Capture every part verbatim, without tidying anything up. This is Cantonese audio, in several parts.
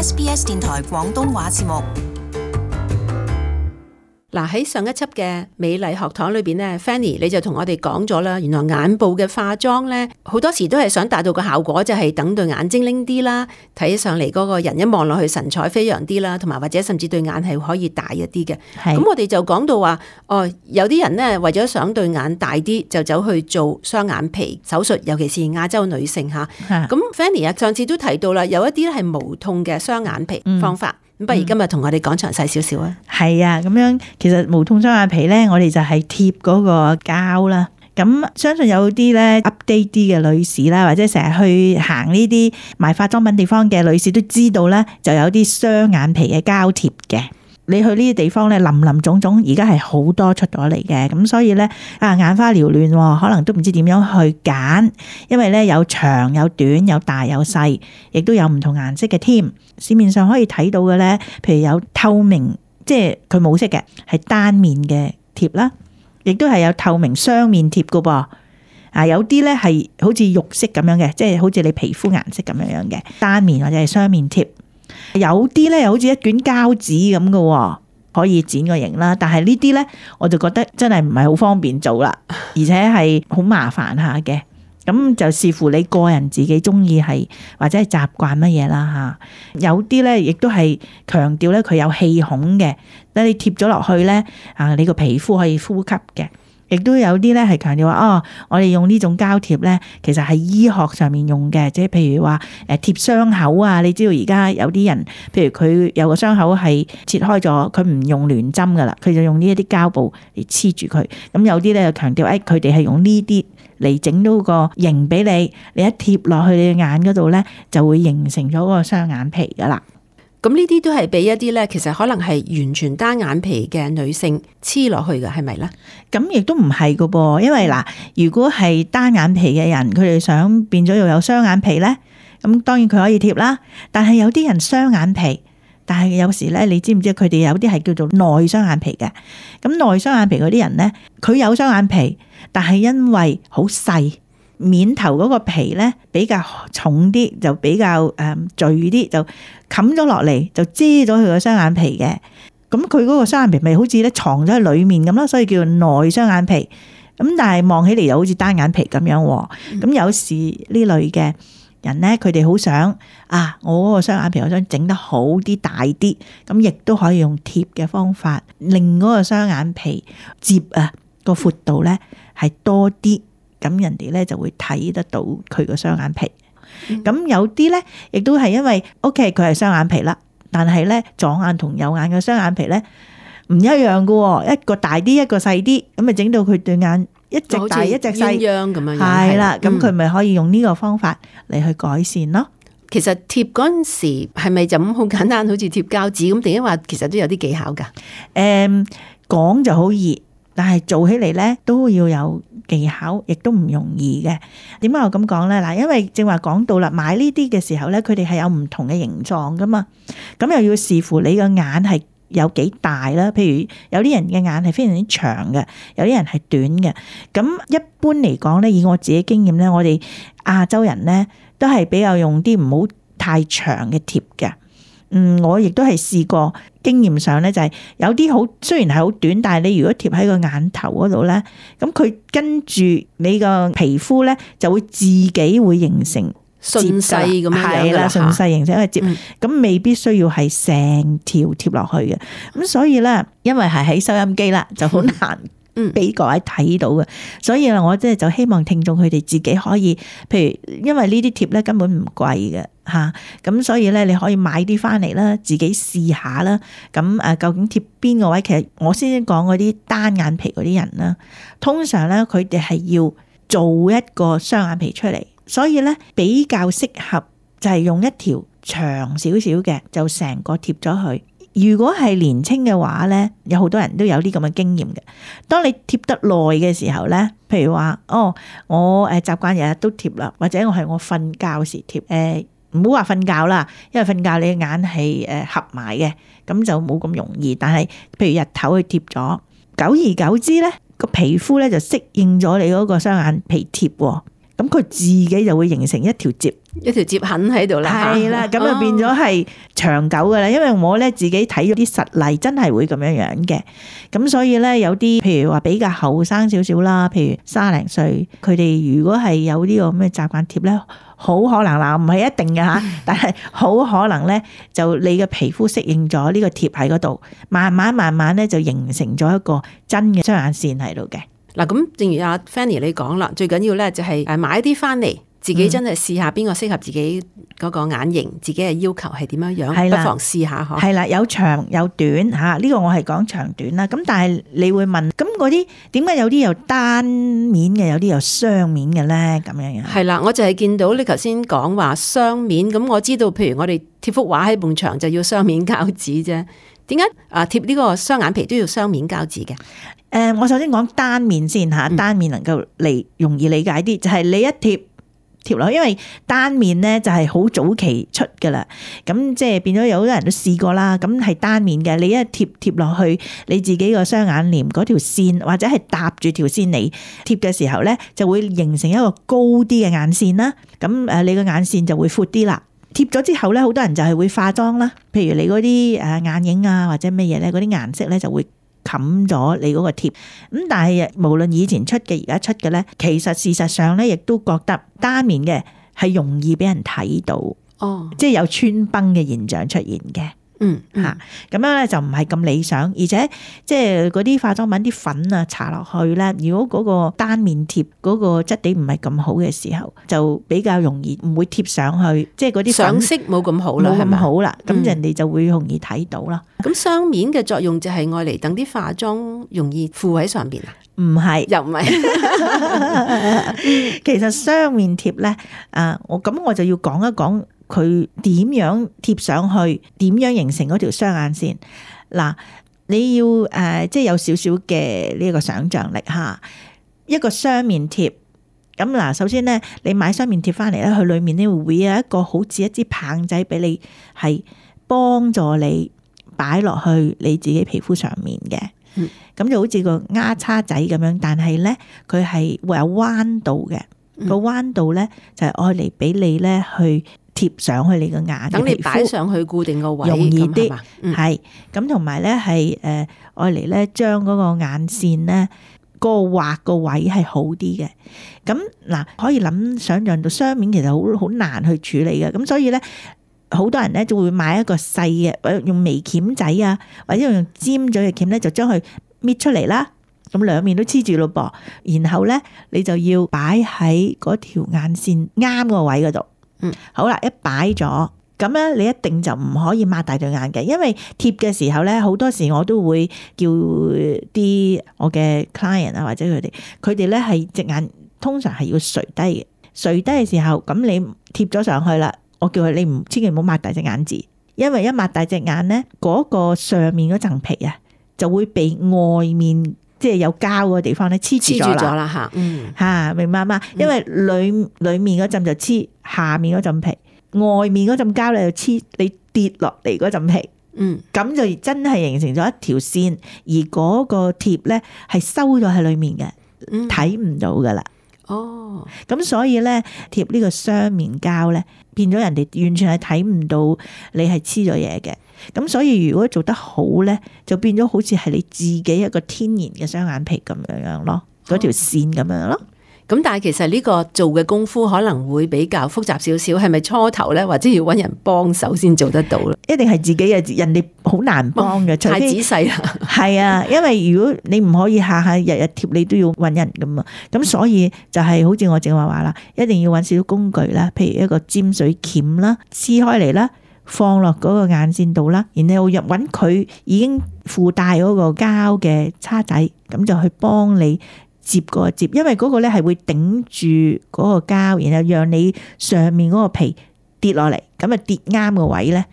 S B S 電台廣東話節目。嗱，喺上一輯嘅美麗學堂裏邊咧 Fanny 你就同我哋講咗啦，原來眼部嘅化妝咧好多時都係想達到個效果，就係等對眼精靈啲啦，睇起上嚟嗰個人一望落去神采飛揚啲啦，同埋或者甚至對眼係可以大一啲嘅。咁我哋就講到話，哦，有啲人咧為咗想對眼大啲，就走去做雙眼皮手術，尤其是亞洲女性吓。咁 Fanny 啊，上次都提到啦，有一啲咧係無痛嘅雙眼皮方法。嗯不如今日同我哋講詳細少少啊！係啊，咁樣其實無痛雙眼皮咧，我哋就係貼嗰個膠啦。咁相信有啲咧 update 啲嘅女士啦，或者成日去行呢啲賣化妝品地方嘅女士都知道咧，就有啲雙眼皮嘅膠貼嘅。你去呢啲地方咧，林林總總，而家係好多出咗嚟嘅，咁所以咧啊眼花繚亂，可能都唔知點樣去揀，因為咧有長有短，有大有細，亦都有唔同顏色嘅添。市面上可以睇到嘅咧，譬如有透明，即係佢冇色嘅，係單面嘅貼啦，亦都係有透明雙面貼噶噃。啊，有啲咧係好似肉色咁樣嘅，即係好似你皮膚顏色咁樣樣嘅單面或者係雙面貼。有啲咧又好似一卷膠紙咁嘅，可以剪個型啦。但係呢啲咧，我就覺得真係唔係好方便做啦，而且係好麻煩下嘅。咁就視乎你個人自己中意係或者係習慣乜嘢啦吓。有啲咧亦都係強調咧佢有氣孔嘅，等你貼咗落去咧啊，你個皮膚可以呼吸嘅。亦都有啲咧係強調話哦，我哋用呢種膠貼咧，其實係醫學上面用嘅，即係譬如話誒貼傷口啊。你知道而家有啲人，譬如佢有個傷口係切開咗，佢唔用聯針噶啦，佢就用呢一啲膠布嚟黐住佢。咁有啲咧就強調誒，佢哋係用呢啲嚟整到個型俾你，你一貼落去你嘅眼嗰度咧，就會形成咗嗰個雙眼皮噶啦。咁呢啲都係俾一啲咧，其實可能係完全單眼皮嘅女性黐落去嘅，係咪咧？咁亦都唔係噶噃，因為嗱，如果係單眼皮嘅人，佢哋想變咗又有雙眼皮咧，咁當然佢可以貼啦。但係有啲人雙眼皮，但係有時咧，你知唔知佢哋有啲係叫做內雙眼皮嘅？咁內雙眼皮嗰啲人咧，佢有雙眼皮，但係因為好細。面頭嗰個皮咧比較重啲，就比較誒聚啲，就冚咗落嚟，就遮咗佢個雙眼皮嘅。咁佢嗰個雙眼皮咪好似咧藏咗喺裡面咁咯，所以叫做內雙眼皮。咁但係望起嚟又好似單眼皮咁樣。咁、嗯、有時呢類嘅人咧，佢哋好想啊，我嗰個雙眼皮我想整得好啲、大啲，咁亦都可以用貼嘅方法，令嗰個雙眼皮接啊個闊度咧係多啲。咁人哋咧就會睇得到佢個雙眼皮。咁、嗯、有啲咧，亦都係因為 OK 佢係雙眼皮啦，但係咧左眼同右眼嘅雙眼皮咧唔一樣噶，一個大啲，一個細啲，咁咪整到佢對眼一隻大一隻細咁樣。係啦，咁佢咪可以用呢個方法嚟去改善咯。其實貼嗰陣時係咪就咁好簡單，好似貼膠紙咁？定係話其實都有啲技巧噶？誒、嗯，講就好易，但係做起嚟咧都要有技巧，亦都唔容易嘅。點解我咁講咧？嗱，因為正話講到啦，買呢啲嘅時候咧，佢哋係有唔同嘅形狀噶嘛，咁又要視乎你個眼係有幾大啦。譬如有啲人嘅眼係非常之長嘅，有啲人係短嘅。咁一般嚟講咧，以我自己經驗咧，我哋亞洲人咧都係比較用啲唔好太長嘅貼嘅。嗯，我亦都係試過，經驗上咧就係有啲好，雖然係好短，但係你如果貼喺個眼頭嗰度咧，咁佢跟住你個皮膚咧就會自己會形成順勢咁樣，係啦，順勢形成一個接，咁、嗯、未必需要係成條貼落去嘅。咁所以咧，因為係喺收音機啦，就好難俾各位睇到嘅。所以我即係就希望聽眾佢哋自己可以，譬如因為呢啲貼咧根本唔貴嘅。吓，咁所以咧，你可以買啲翻嚟啦，自己試下啦。咁誒，究竟貼邊個位？其實我先講嗰啲單眼皮嗰啲人啦，通常咧佢哋係要做一個雙眼皮出嚟，所以咧比較適合就係用一條長少少嘅，就成個貼咗去。如果係年青嘅話咧，有好多人都有啲咁嘅經驗嘅。當你貼得耐嘅時候咧，譬如話哦，我誒習慣日日都貼啦，或者我係我瞓覺時貼誒。唔好話瞓覺啦，因為瞓覺你嘅眼係誒合埋嘅，咁就冇咁容易。但係譬如日頭去貼咗，久而久之咧，個皮膚咧就適應咗你嗰個雙眼皮貼，咁佢自己就會形成一條接，一條接痕喺度啦，係啦，咁就變咗係長久噶啦。因為我咧自己睇咗啲實例，真係會咁樣樣嘅。咁所以咧有啲譬如話比較後生少少啦，譬如卅零歲，佢哋如果係有呢個咁嘅習慣貼咧，好可能嗱，唔係一定嘅吓，但係好可能咧就你嘅皮膚適應咗呢個貼喺嗰度，慢慢慢慢咧就形成咗一個真嘅雙眼線喺度嘅。嗱，咁正如阿 Fanny 你講啦，最緊要咧就係誒買啲翻嚟。自己真係試下邊個適合自己嗰個眼型，自己嘅要求係點樣樣，不妨試下嗬。係啦，有長有短嚇，呢個我係講長短啦。咁但係你會問，咁嗰啲點解有啲有單面嘅，有啲有雙面嘅咧？咁樣樣係啦，我就係見到你頭先講話雙面，咁我知道，譬如我哋貼幅畫喺埲牆就要雙面膠紙啫。點解啊貼呢個雙眼皮都要雙面膠紙嘅？誒、呃，我首先講單面先嚇，單面能夠嚟容易理解啲，就係、是、你一貼。貼落，因為單面咧就係好早期出噶啦，咁即係變咗有好多人都試過啦。咁係單面嘅，你一貼貼落去你自己個雙眼簾嗰條線，或者係搭住條線嚟貼嘅時候咧，就會形成一個高啲嘅眼線啦。咁誒，你個眼線就會闊啲啦。貼咗之後咧，好多人就係會化妝啦，譬如你嗰啲誒眼影啊或者乜嘢咧，嗰啲顏色咧就會冚咗你嗰個貼，咁但係無論以前出嘅而家出嘅咧，其實事實上咧亦都覺得單面嘅係容易俾人睇到，哦，即係有穿崩嘅現象出現嘅。嗯吓，咁樣咧就唔係咁理想，而且即係嗰啲化妝品啲粉啊搽落去咧，如果嗰個單面貼嗰個質地唔係咁好嘅時候，就比較容易唔會貼上去，即係嗰啲上色冇咁好啦，冇咁好啦，咁人哋就會容易睇到啦。咁雙面嘅作用就係愛嚟等啲化妝容易附喺上邊啊？唔係，又唔係。其實雙面貼咧，啊，我咁我就要講一講。佢點樣貼上去？點樣形成嗰條雙眼線？嗱，你要誒、呃，即係有少少嘅呢個想像力嚇。一個雙面貼，咁嗱，首先咧，你買雙面貼翻嚟咧，佢裡面咧會有一個好似一支棒仔俾你，係幫助你擺落去你自己皮膚上面嘅。咁、嗯、就好似個丫叉仔咁樣，但係咧佢係會有彎度嘅。個彎度咧就係愛嚟俾你咧去貼上去你個眼，等你擺上去固定個位，容易啲。係咁，咁同埋咧係誒愛嚟咧將嗰個眼線咧嗰個畫個位係好啲嘅。咁嗱，可以諗想像到雙面其實好好難去處理嘅。咁所以咧，好多人咧就會買一個細嘅，或者用微鉗仔啊，或者用尖咗嘅鉗咧，就將佢搣出嚟啦。咁兩面都黐住咯噃，然後咧你就要擺喺嗰條眼線啱個位嗰度。嗯，好啦，一擺咗，咁咧你一定就唔可以擘大對眼嘅，因為貼嘅時候咧，好多時我都會叫啲我嘅 client 啊或者佢哋，佢哋咧係隻眼通常係要垂低嘅，垂低嘅時候，咁你貼咗上去啦，我叫佢你唔千祈唔好擘大隻眼字，因為一擘大隻眼咧，嗰個上面嗰層皮啊就會被外面。即係有膠嗰個地方咧黐住咗啦嚇，嗯嚇，明白嘛？因為裏裏面嗰陣就黐，下面嗰陣皮，外面嗰陣膠咧就黐你跌落嚟嗰陣皮，嗯，咁就真係形成咗一條線，而嗰個貼咧係收咗喺裏面嘅，睇唔到噶啦。哦，咁所以咧貼呢個雙面膠咧，變咗人哋完全係睇唔到你係黐咗嘢嘅。咁所以如果做得好咧，就變咗好似係你自己一個天然嘅雙眼皮咁樣樣咯，嗰條線咁樣咯。咁、哦、但係其實呢個做嘅功夫可能會比較複雜少少，係咪初頭咧，或者要搵人幫手先做得到咧？一定係自己嘅，人哋好難幫嘅，太仔細啦。係啊，因為如果你唔可以下下日日貼，你都要搵人噶嘛。咁所以就係好似我正話話啦，一定要搵少少工具啦，譬如一個尖水鉗啦，撕開嚟啦。放落嗰個眼線度啦，然後入揾佢已經附帶嗰個膠嘅叉仔，咁就去幫你接個接，因為嗰個咧係會頂住嗰個膠，然後讓你上面嗰個皮跌落嚟，咁啊跌啱個位咧，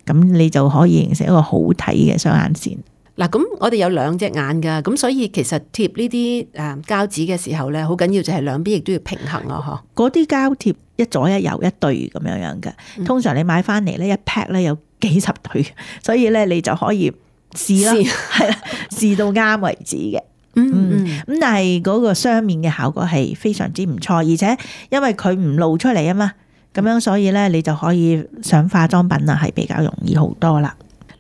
咁你就可以形成一個好睇嘅雙眼線。嗱，咁我哋有兩隻眼噶，咁所以其實貼呢啲誒膠紙嘅時候咧，好緊要就係兩邊亦都要平衡咯，嗬。嗰啲膠貼一左一右一對咁樣樣嘅，通常你買翻嚟咧一 pack 咧有幾十對，所以咧你就可以試啦，係啦，試到啱為止嘅。嗯嗯，咁但係嗰個雙面嘅效果係非常之唔錯，而且因為佢唔露出嚟啊嘛。咁樣所以咧你就可以上化妝品啊，係比較容易好多啦。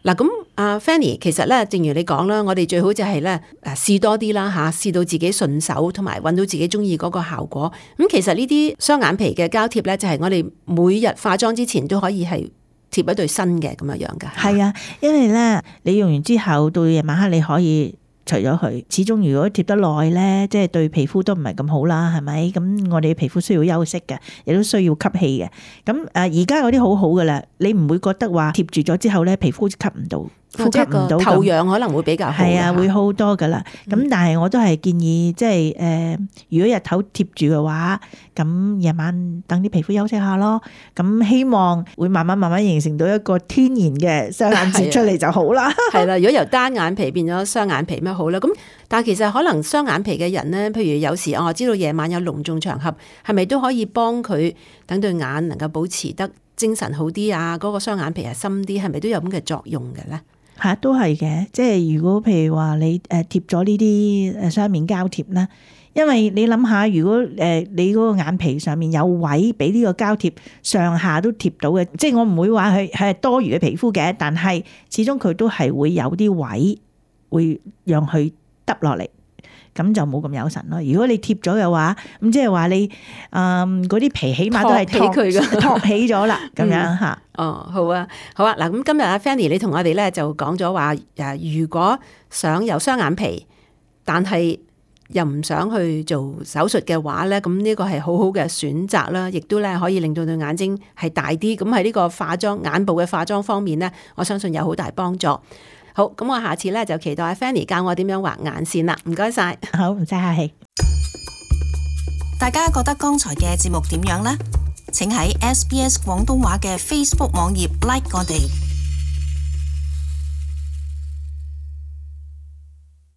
嗱，咁阿 Fanny，其實咧，正如你講啦，我哋最好就係咧誒試多啲啦嚇，試到自己順手，同埋揾到自己中意嗰個效果。咁其實呢啲雙眼皮嘅膠貼咧，就係我哋每日化妝之前都可以係貼一對新嘅咁樣樣㗎。係啊，因為咧你用完之後到夜晚黑你可以除咗佢，始終如果貼得耐咧，即係對皮膚都唔係咁好啦，係咪？咁我哋皮膚需要休息嘅，亦都需要吸氣嘅。咁誒而家嗰啲好好噶啦，你唔會覺得話貼住咗之後咧，皮膚吸唔到。呼吸唔到，透氧可能會比較好。係啊，會好多噶啦。咁、嗯、但係我都係建議，即係誒，如果日頭貼住嘅話，咁夜晚等啲皮膚休息下咯。咁希望會慢慢慢慢形成到一個天然嘅雙眼皮出嚟就好啦。係啦，如果由單眼皮變咗雙眼皮咩好啦？咁但係其實可能雙眼皮嘅人咧，譬如有時我知道夜晚有隆重場合，係咪都可以幫佢等對眼能夠保持得精神好啲啊？嗰、嗰個雙眼皮係深啲，係咪都有咁嘅作用嘅咧？嚇、啊，都係嘅，即係如果譬如話你誒貼咗呢啲誒雙面膠貼咧，因為你諗下，如果誒你嗰個眼皮上面有位俾呢個膠貼上下都貼到嘅，即係我唔會話佢係多餘嘅皮膚嘅，但係始終佢都係會有啲位會讓佢耷落嚟。咁就冇咁有神咯。如果你貼咗嘅話，咁即係話你誒嗰啲皮起碼都係托起佢嘅，托起咗啦，咁樣嚇。哦，好啊，好啊。嗱，咁今日阿 Fanny 你同我哋咧就講咗話誒，如果想有雙眼皮，但係又唔想去做手術嘅話咧，咁呢個係好好嘅選擇啦，亦都咧可以令到對眼睛係大啲。咁喺呢個化妝眼部嘅化妝方面咧，我相信有好大幫助。好，咁我下次咧就期待阿 Fanny 教我點樣畫眼線啦，唔該晒。好，唔使客氣。大家覺得剛才嘅節目點樣呢？請喺 S B S 廣東話嘅 Facebook 網頁 like 我哋。